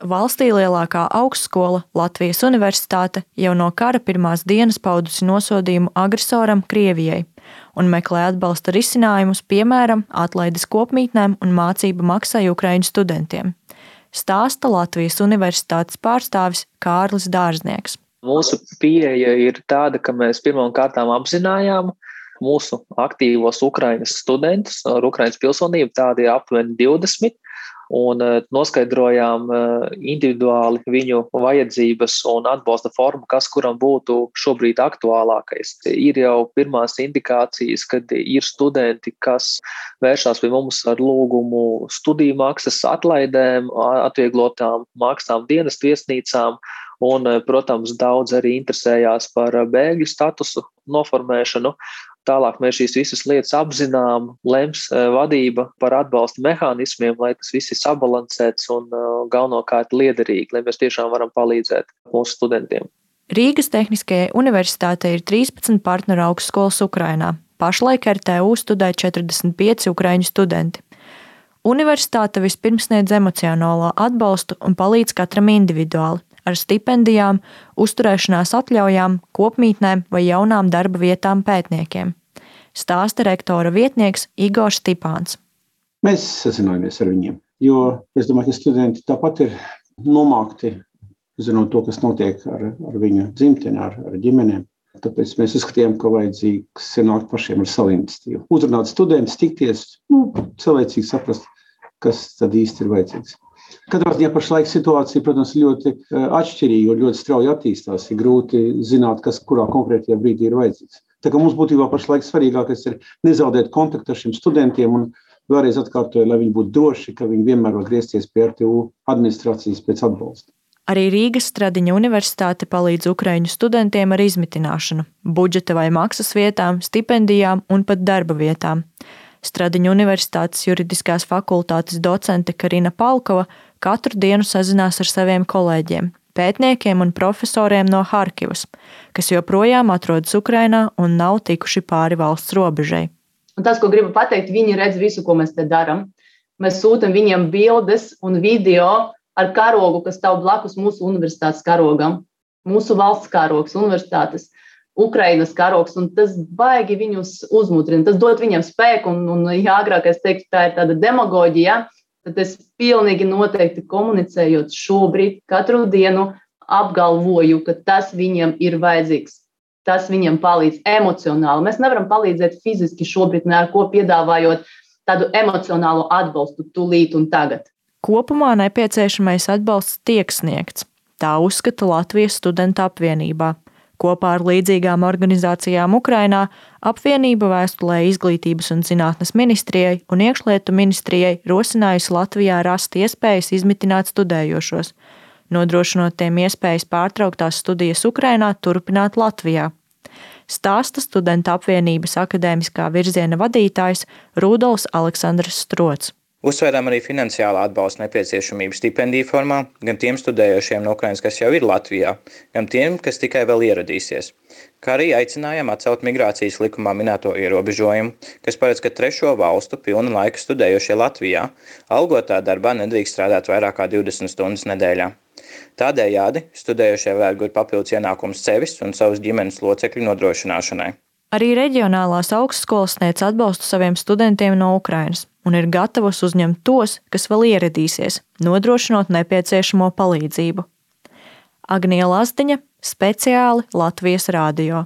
Valstī lielākā augstskola, Latvijas Universitāte, jau no kara pirmās dienas paudusi nosodījumu agresoram Krievijai un meklē atbalsta risinājumus, piemēram, atlaides kopmītnēm un mācību maksai Ukraiņu studentiem. Stāsta Latvijas Universitātes pārstāvis Kārlis Dārznieks. Mūsu pieeja ir tāda, ka mēs pirmām kārtām apzinājām mūsu aktīvos Ukraiņas studentus ar Ukraiņas pilsonību, tādi aptuveni 20, un noskaidrojām individuāli viņu vajadzības un atbalsta formu, kas kuram būtu šobrīd aktuālākais. Ir jau pirmās indikācijas, kad ir studenti, kas vēršās pie mums ar lūgumu studiju maksas atlaidēm, atvieglotām maksām dienestu viesnīcām, un, protams, daudz arī interesējās par bēgļu statusu noformēšanu. Tālāk mēs šīs visas lietas apzinām, lems vadība par atbalsta mehānismiem, lai tas viss ir sabalansēts un galvenokārt liederīgi, lai mēs tiešām varam palīdzēt mūsu studentiem. Rīgas Tehniskajai universitātei ir 13 partneru augstskolas Ukrainā. Pašlaik RTU studē 45 ukraiņu studenti. Universitāte vispirms sniedz emocionālo atbalstu un palīdz katram individuāli, ar stipendijām, uzturēšanās atļaujām, kopmītnēm vai jaunām darba vietām pētniekiem. Stāsta rektora vietnieks Igors Stipāns. Mēs sazinājāmies ar viņiem, jo es domāju, ka studenti tāpat ir nomākti, zinot to, kas notiek ar viņu dzimteni, ar ģimenēm. Tāpēc mēs uzskatījām, ka vajadzīgs ir nākt pašiem ar savu iniciatīvu. Uzrunāt studentus, tikties, cilvēcīgi saprast, kas tad īsti ir vajadzīgs. Katrā ziņā pašlaik situācija, protams, ļoti atšķirīga un ļoti strauji attīstās. Ir grūti zināt, kas kurā konkrētajā brīdī ir vajadzīgs. Tā kā mums būtībā pašlaik svarīgākais ir nezaudēt kontaktu ar šiem studentiem un vēlreiz atkārtoju, lai viņi būtu droši, ka viņi vienmēr var griezties pie RTU administrācijas pēc atbalsta. Arī Rīgas Stradiņa universitāte palīdz ukraiņu studentiem ar izmitināšanu, budžeta vai maksas vietām, stipendijām un pat darba vietām. Stradiņa universitātes juridiskās fakultātes docente Karina Palkova katru dienu sazinās ar saviem kolēģiem, pētniekiem un profesoriem no Harkivas, kas joprojām atrodas Ukrainā un nav tikuši pāri valsts robežai. Un tas, ko gribu pateikt, viņi redz visu, ko mēs te daram. Mēs sūtam viņiem bildes un video ar karogu, kas stāv blakus mūsu universitātes karogam, mūsu valsts karogs, universitātes Ukrainas karogs, un tas baigi viņus uzmudrina. Tas dod viņiem spēku, un ja agrāk es teiktu, tā ir tāda demagoģija, tad es pilnīgi noteikti komunicējot šobrīd katru dienu apgalvoju, ka tas viņiem ir vajadzīgs. Tas viņiem palīdz emocionāli. Mēs nevaram palīdzēt fiziski šobrīd, ne ar ko piedāvājot tādu emocionālu atbalstu tūlīt un tagad. Kopumā nepieciešamais atbalsts tiek sniegts. Tā uzskata Latvijas studentu apvienībā. Kopā ar līdzīgām organizācijām Ukrainā apvienība vēstulē Izglītības un zinātnes ministrijai un Iekšlietu ministrijai rosinājusi Latvijā rast iespējas izmitināt studējošos, nodrošinot tiem iespējas pārtrauktās studijas Ukrainā turpināt Latvijā. Stāsta studentu apvienības akadēmiskā virziena vadītājs Rudolfs Aleksandrs Strots. Uzsvērām arī finansiālā atbalsta nepieciešamību stipendiju formā gan tiem studējošiem no Ukrainas, kas jau ir Latvijā, gan tiem, kas tikai vēl ieradīsies. Kā arī aicinājām atcelt migrācijas likumā minēto ierobežojumu, kas paredz, ka trešo valstu pilna laika studējošie Latvijā algotā darbā nedrīkst strādāt vairāk kā 20 stundas nedēļā. Tādējādi studējošie varētu gūt papildus ienākumus sevis un savas ģimenes locekļu nodrošināšanai. Arī reģionālās augstskolas sniedz atbalstu saviem studentiem no Ukrainas un ir gatavas uzņemt tos, kas vēl ieradīsies, nodrošinot nepieciešamo palīdzību. Agnija Lazdiņa, speciāli Latvijas Rādio.